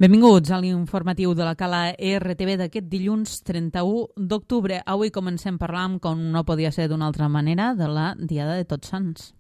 Benvinguts a l'informatiu de la Cala RTV d'aquest dilluns 31 d'octubre. Avui comencem parlant, com no podia ser d'una altra manera, de la Diada de Tots Sants.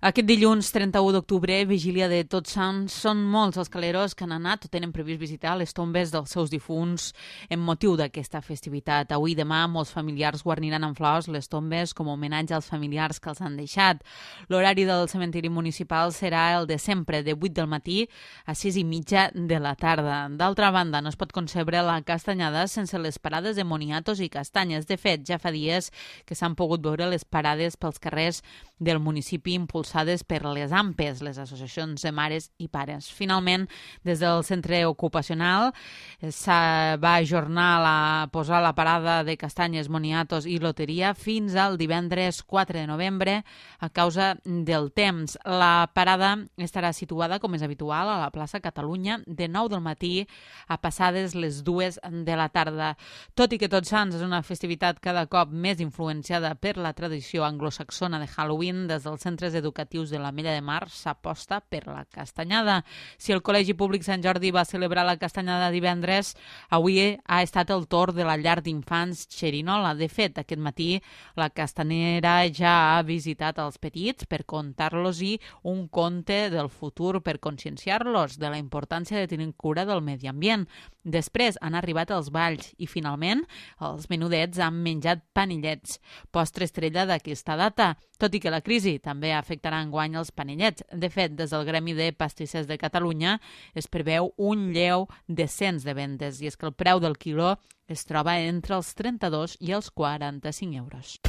Aquest dilluns 31 d'octubre, vigília de Tots Sants, són molts els caleros que han anat o tenen previst visitar les tombes dels seus difunts en motiu d'aquesta festivitat. Avui i demà molts familiars guarniran amb flors les tombes com a homenatge als familiars que els han deixat. L'horari del cementiri municipal serà el de sempre, de 8 del matí a 6:30 de la tarda. D'altra banda, no es pot concebre la castanyada sense les parades de moniatos i castanyes. De fet, ja fa dies que s'han pogut veure les parades pels carrers del municipi impulsades per les AMPEs, les associacions de mares i pares. Finalment, des del centre ocupacional va ajornar a posar la parada de castanyes, moniatos i loteria fins al divendres 4 de novembre a causa del temps. La parada estarà situada, com és habitual, a la plaça Catalunya de 9 del matí a passades les 2 de la tarda. Tot i que Tots Sants és una festivitat cada cop més influenciada per la tradició anglosaxona de Halloween, des dels centres educatius de l'Ametlla de Mar s'aposta per la castanyada. Si el Col·legi Públic Sant Jordi va celebrar la castanyada divendres, avui ha estat el torn de la llar d'infants Xerinola. De fet, aquest matí la castanera ja ha visitat els petits per contar-los-hi un conte del futur, per conscienciar-los de la importància de tenir cura del medi ambient. Després han arribat els balls i, finalment, els menudets han menjat panellets, postre estrella d'aquesta data, tot i que la crisi també afectarà enguany els panellets. De fet, des del Gremi de Pastissers de Catalunya es preveu un lleu descens de vendes, i és que el preu del quiló es troba entre els 32 i els 45 euros.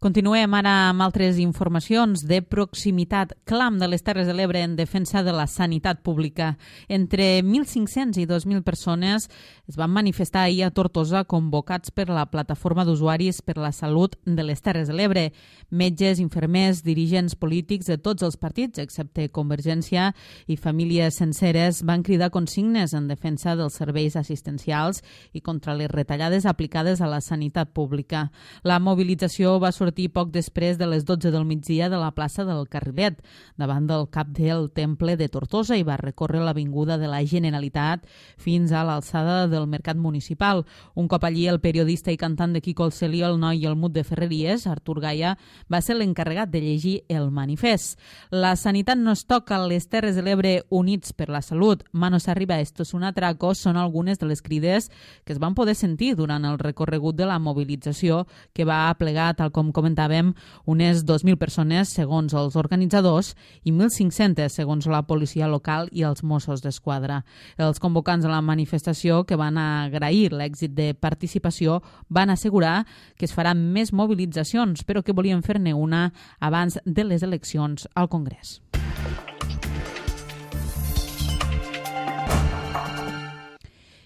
Continuem ara amb altres informacions de proximitat. Clam de les Terres de l'Ebre en defensa de la sanitat pública. Entre 1.500 i 2.000 persones es van manifestar ahir a Tortosa convocats per la Plataforma d'Usuaris per la Salut de les Terres de l'Ebre. Metges, infermers, dirigents polítics de tots els partits, excepte Convergència, i famílies senceres van cridar consignes en defensa dels serveis assistencials i contra les retallades aplicades a la sanitat pública. La mobilització va sortir poc després de les 12 del migdia de la plaça del Carrilet, davant del cap del Temple de Tortosa, i va recórrer l'avinguda de la Generalitat fins a l'alçada del Mercat Municipal. Un cop allí, el periodista i cantant de Quico el Celí, el noi i el mut de Ferreries, Artur Gaia, va ser l'encarregat de llegir el manifest. La sanitat no es toca, les Terres de l'Ebre units per la salut. Manos arriba, esto es un atraco, són algunes de les crides que es van poder sentir durant el recorregut de la mobilització, que va aplegar, tal com comentàvem, unes 2.000 persones segons els organitzadors i 1.500 segons la policia local i els Mossos d'Esquadra. Els convocants de la manifestació, que van agrair l'èxit de participació, van assegurar que es faran més mobilitzacions, però que volien fer-ne una abans de les eleccions al Congrés.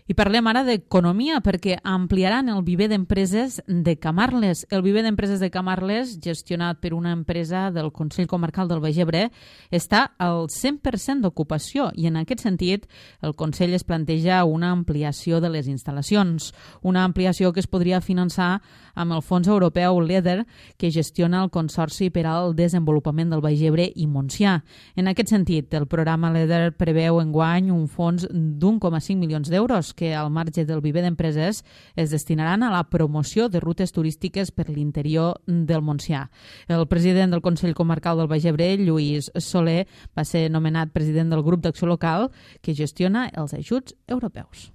I parlem ara d'economia, perquè ampliaran el viver d'empreses de Camarles. El viver d'empreses de Camarles, gestionat per una empresa del Consell Comarcal del Baix Ebre, està al 100% d'ocupació, i en aquest sentit el Consell es planteja una ampliació de les instal·lacions. Una ampliació que es podria finançar amb el fons europeu LEADER, que gestiona el Consorci per al Desenvolupament del Baix Ebre i Montsià. En aquest sentit, el programa LEADER preveu enguany un fons d'1,5 milions d'euros que al marge del viver d'empreses es destinaran a la promoció de rutes turístiques per l'interior del Montsià. El president del Consell Comarcal del Baix Ebre, Lluís Soler, va ser nomenat president del grup d'acció local que gestiona els ajuts europeus.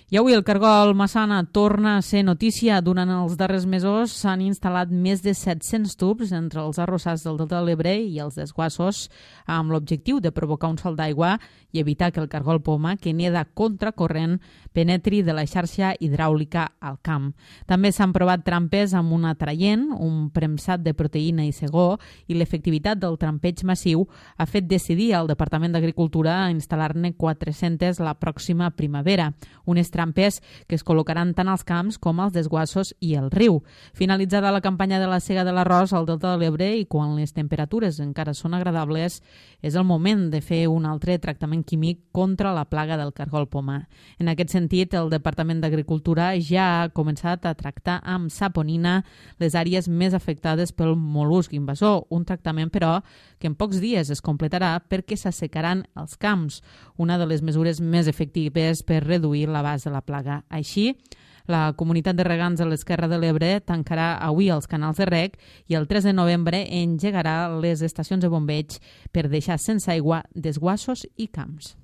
I avui el cargol Massana torna a ser notícia. Durant els darrers mesos s'han instal·lat més de 700 tubs entre els arrossars del Delta de l'Ebre i els desguassos, amb l'objectiu de provocar un salt d'aigua i evitar que el cargol poma, que neda contracorrent, penetri de la xarxa hidràulica al camp. També s'han provat trampes amb un atraient, un premsat de proteïna i segó, i l'efectivitat del trampeig massiu ha fet decidir al Departament d'Agricultura a instal·lar-ne 400 la pròxima primavera. Un trampes que es col·locaran tant als camps com als desguassos i el riu. Finalitzada la campanya de la sega de l'arròs al Delta de l'Ebre i quan les temperatures encara són agradables, és el moment de fer un altre tractament químic contra la plaga del cargol poma. En aquest sentit, el Departament d'Agricultura ja ha començat a tractar amb saponina les àrees més afectades pel mol·lusc invasor, un tractament, però, que en pocs dies es completarà perquè s'assecaran els camps, una de les mesures més efectives per reduir l'abast de la plaga. Així, la comunitat de regants de l'Esquerra de l'Ebre tancarà avui els canals de reg i el 3 de novembre engegarà les estacions de bombeig per deixar sense aigua desguassos i camps.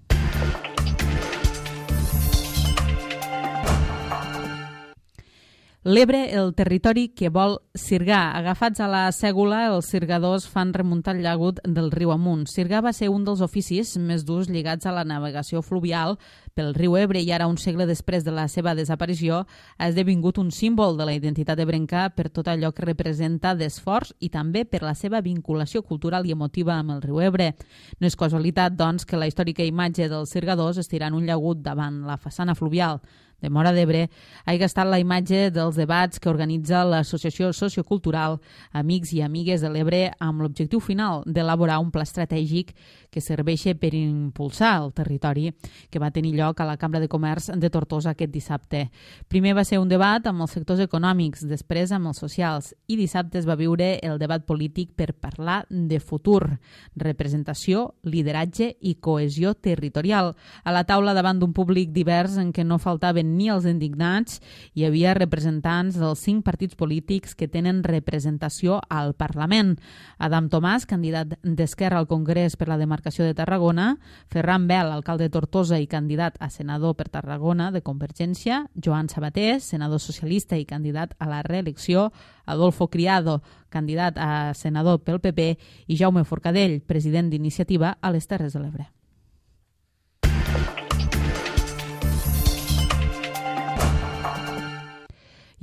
L'Ebre, el territori que vol sirgar. Agafats a la sègula, els sirgadors fan remuntar el llagut del riu amunt. Sirgar va ser un dels oficis més durs lligats a la navegació fluvial pel riu Ebre i ara, un segle després de la seva desaparició, ha esdevingut un símbol de la identitat ebrenca per tot allò que representa d'esforç i també per la seva vinculació cultural i emotiva amb el riu Ebre. No és casualitat, doncs, que la històrica imatge dels sirgadors estirant un llagut davant la façana fluvial de Móra d'Ebre hagi estat la imatge dels debats que organitza l'Associació Sociocultural Amics i Amigues de l'Ebre amb l'objectiu final d'elaborar un pla estratègic que serveixi per impulsar el territori, que va tenir lloc a la Cambra de Comerç de Tortosa aquest dissabte. Primer va ser un debat amb els sectors econòmics, després amb els socials, i dissabte es va viure el debat polític per parlar de futur, representació, lideratge i cohesió territorial. A la taula, davant d'un públic divers en què no faltaven ni els indignats, hi havia representants dels 5 partits polítics que tenen representació al Parlament. Adam Tomàs, candidat d'Esquerra al Congrés per la demarcació de Tarragona, Ferran Bel, alcalde de Tortosa i candidat a senador per Tarragona de Convergència, Joan Sabater, senador socialista i candidat a la reelecció, Adolfo Criado, candidat a senador pel PP, i Jaume Forcadell, president d'Iniciativa a les Terres de l'Ebre.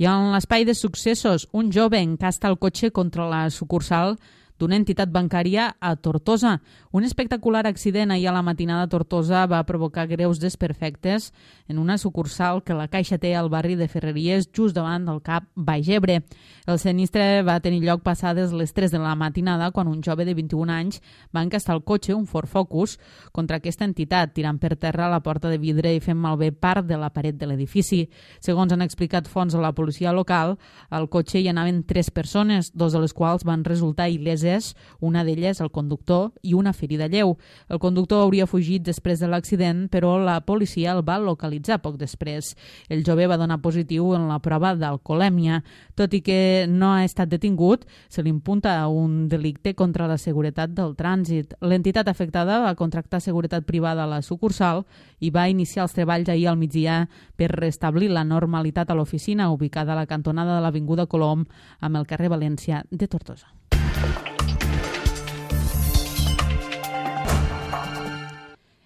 I en l'espai de successos, un jove encasta el cotxe contra la sucursal d'una entitat bancària a Tortosa. Un espectacular accident ahir a la matinada a Tortosa va provocar greus desperfectes en una sucursal que la Caixa té al barri de Ferreries, just davant del CAP Baix Ebre. El sinistre va tenir lloc passades les 3 de la matinada quan un jove de 21 anys va encastar el cotxe, un Ford Focus, contra aquesta entitat, tirant per terra la porta de vidre i fent malbé part de la paret de l'edifici. Segons han explicat fonts a la policia local, al cotxe hi anaven 3 persones, 2 de les quals van resultar il·leses, una d'elles el conductor i una ferida lleu. El conductor hauria fugit després de l'accident, però la policia el va localitzar poc després. El jove va donar positiu en la prova d'alcoholèmia. Tot i que no ha estat detingut, se li imputa un delicte contra la seguretat del trànsit. L'entitat afectada va contractar seguretat privada a la sucursal i va iniciar els treballs ahir al migdia per restablir la normalitat a l'oficina ubicada a la cantonada de l'Avinguda Colom amb el carrer València de Tortosa.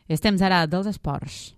És temps ara dels esports.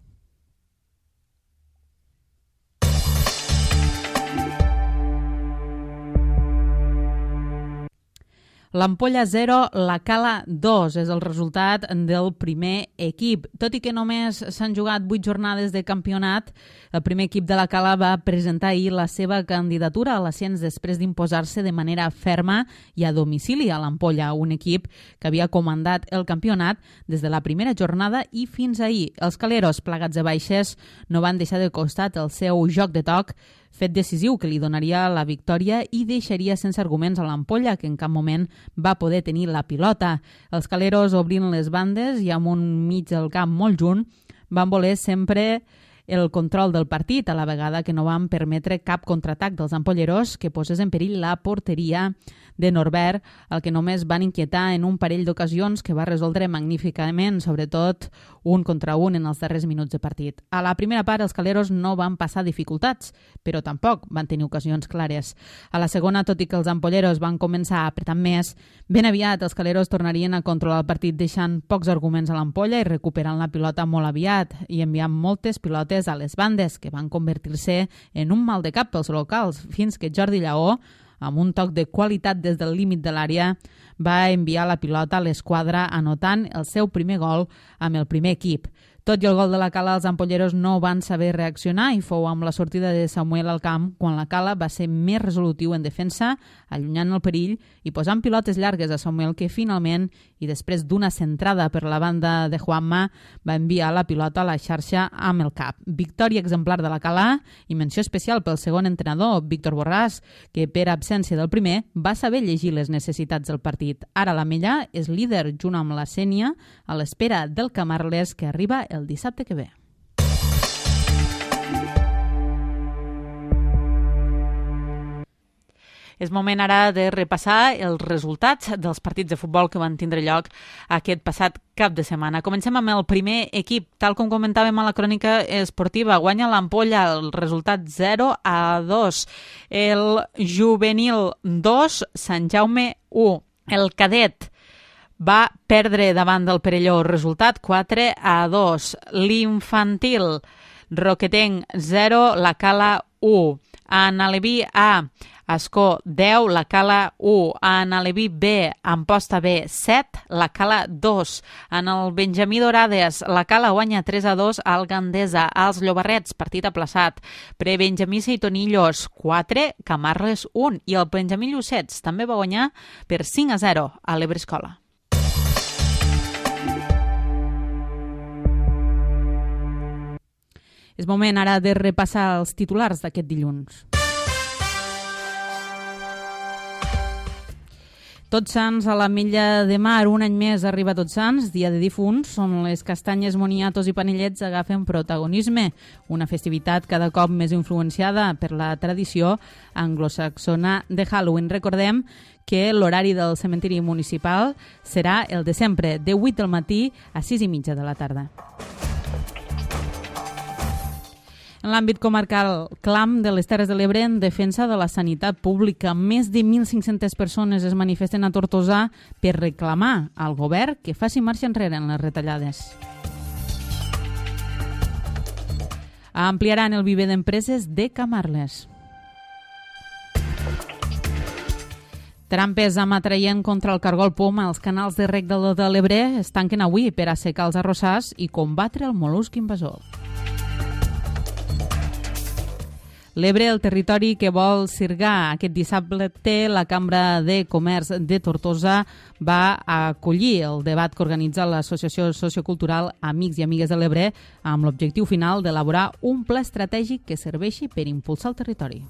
L'Ampolla 0, la Cala 2 és el resultat del primer equip. Tot i que només s'han jugat 8 jornades de campionat, el primer equip de la Cala va presentar ahir la seva candidatura a l'ascens després d'imposar-se de manera ferma i a domicili a l'Ampolla, un equip que havia comandat el campionat des de la primera jornada i fins ahir. Els caleros, plagats de baixes, no van deixar de costat el seu joc de toc, fet decisiu que li donaria la victòria i deixaria sense arguments a l'Ampolla, que en cap moment va poder tenir la pilota. Els caleros, obrint les bandes i amb un mig del camp molt junt, van voler sempre el control del partit, a la vegada que no van permetre cap contraatac dels ampolleros que posés en perill la porteria de Norbert, el que només van inquietar en un parell d'ocasions que va resoldre magníficament, sobretot un contra un en els darrers minuts de partit. A la primera part els caleros no van passar dificultats, però tampoc van tenir ocasions clares. A la segona, tot i que els ampolleros van començar a apretar més, ben aviat els caleros tornarien a controlar el partit deixant pocs arguments a l'ampolla i recuperant la pilota molt aviat i enviant moltes pilotes a les bandes, que van convertir-se en un mal de cap pels locals, fins que Jordi Lleó, amb un toc de qualitat des del límit de l'àrea, va enviar la pilota a l'esquadra anotant el seu primer gol amb el primer equip. Tot i el gol de la Cala, els ampolleros no van saber reaccionar i fou amb la sortida de Samuel al camp quan la Cala va ser més resolutiu en defensa, allunyant el perill i posant pilotes llargues a Samuel que finalment, i després d'una centrada per la banda de Juanma, va enviar la pilota a la xarxa amb el cap. Victòria exemplar de la Cala i menció especial pel segon entrenador, Víctor Borràs, que per absència del primer va saber llegir les necessitats del partit. Ara l'Ametlla és líder junt amb la Sénia a l'espera del Camarles que arriba el dissabte que ve. És moment ara de repassar els resultats dels partits de futbol que van tindre lloc aquest passat cap de setmana. Comencem amb el primer equip. Tal com comentàvem a la crònica esportiva, guanya l'Ampolla el resultat 0-2. El juvenil 2, Sant Jaume 1. El cadet va perdre davant del Perelló, resultat 4-2. L'infantil, Roquetenc 0, la Cala 1. En Aleví A, Ascó 10, la Cala 1. En Aleví B, Amposta B 7, la Cala 2. En el Benjamí d'Orades, la Cala guanya 3-2 al Gandesa. Als Llobarrets, partit aplaçat. Benjamí Seitonillos 4, Camarles 1. I el Benjamí Llucets també va guanyar per 5-0 a l'Ebrescola. És moment ara de repassar els titulars d'aquest dilluns. Tots Sants a l'Ametlla de Mar, un any més arriba Tots Sants, dia de difunts, on les castanyes, moniatos i panellets agafen protagonisme, una festivitat cada cop més influenciada per la tradició anglosaxona de Halloween. Recordem que l'horari del cementiri municipal serà el de sempre, de 8 del matí a 6:30 de la tarda. En l'àmbit comarcal, clam de les Terres de l'Ebre en defensa de la sanitat pública. Més de 1.500 persones es manifesten a Tortosa per reclamar al govern que faci marxa enrere en les retallades. Ampliaran el viver d'empreses de Camarles. Trampes amb atraient contra el cargol poma als canals de reg de l'Ebre es tanquen avui per assecar els arrossars i combatre el mol·lusc invasor. L'Ebre, el territori que vol sirgar aquest dissabte, la Cambra de Comerç de Tortosa va acollir el debat que organitza l'Associació Sociocultural Amics i Amigues de l'Ebre amb l'objectiu final d'elaborar un pla estratègic que serveixi per impulsar el territori.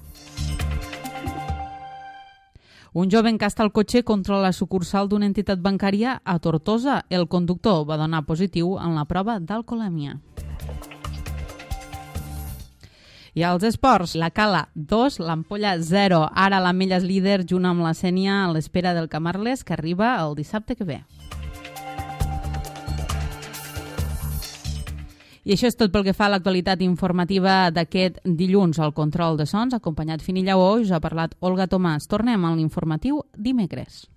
Un jove encasta el cotxe contra la sucursal d'una entitat bancària a Tortosa. El conductor va donar positiu en la prova d'alcoholèmia. I als esports, la Cala 2, l'Ampolla 0. Ara l'Ametlla és líder junt amb la Sénia a l'espera del Camarles, que arriba el dissabte que ve. I això és tot pel que fa a l'actualitat informativa d'aquest dilluns. Al control de sons, acompanyat Fini Lleó, us ha parlat Olga Tomàs. Tornem a l'informatiu dimecres.